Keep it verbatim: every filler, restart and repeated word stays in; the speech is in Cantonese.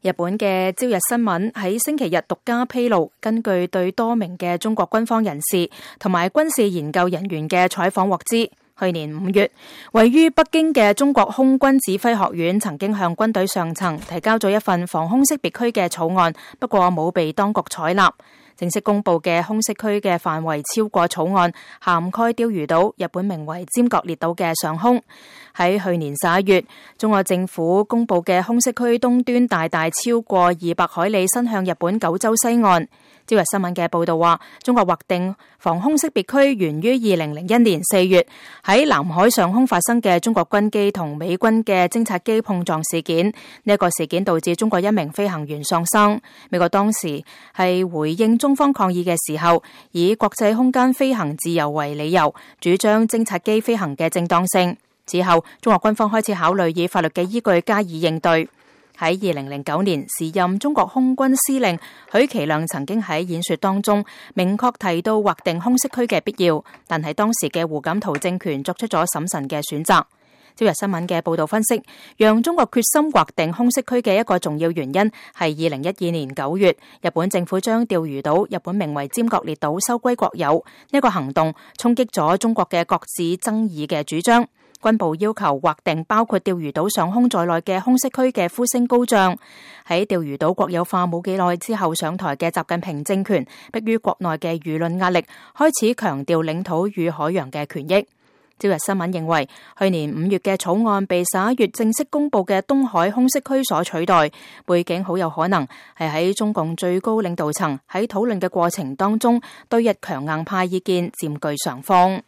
日本嘅朝日新聞喺星期日獨家披露，根據對多名嘅中國軍方人士同埋軍事研究人員嘅採訪獲知，去年五月，位於北京嘅中國空軍指揮學院曾經向軍隊上層提交咗一份防空識別區嘅草案，不過冇被當局採納。正式公布嘅空識區嘅範圍超過草案，涵蓋釣魚島、日本名為尖閣列島嘅上空。喺去年十一月，中國政府公布嘅空識區東端大大超過二百海里，伸向日本九州西岸。朝日新聞嘅報道話，中國劃定防空識別區源於二零零一年四月喺南海上空發生嘅中國軍機同美軍嘅偵察機碰撞事件。呢、這、一個事件導致中國一名飛行員喪生。美國當時係回應中方抗議嘅時候，以國際空間飛行自由為理由，主張偵察機飛行嘅正當性。之後，中國軍方開始考慮以法律嘅依據加以應對。喺二零零九年，時任中國空軍司令許其亮曾經喺演說當中明確提到劃定空識區嘅必要，但係當時嘅胡錦濤政權作出咗審慎嘅選擇。朝日新聞嘅報道分析，讓中國決心劃定空識區嘅一個重要原因係二零一二年九月，日本政府將釣魚島、日本名為尖閣列島收歸國有。呢個行動衝擊咗中國嘅各自爭議嘅主張。軍部要求劃定包括釣魚島上空在內嘅空識區嘅呼聲高漲。喺釣魚島國有化冇幾耐之後上台嘅習近平政權，迫於國內嘅輿論壓力，開始強調領土與海洋嘅權益。朝日新聞認為，去年五月嘅草案被十一月正式公布嘅東海空識區所取代，背景好有可能係喺中共最高領導層喺討論嘅過程當中，對日強硬派意見佔據上風。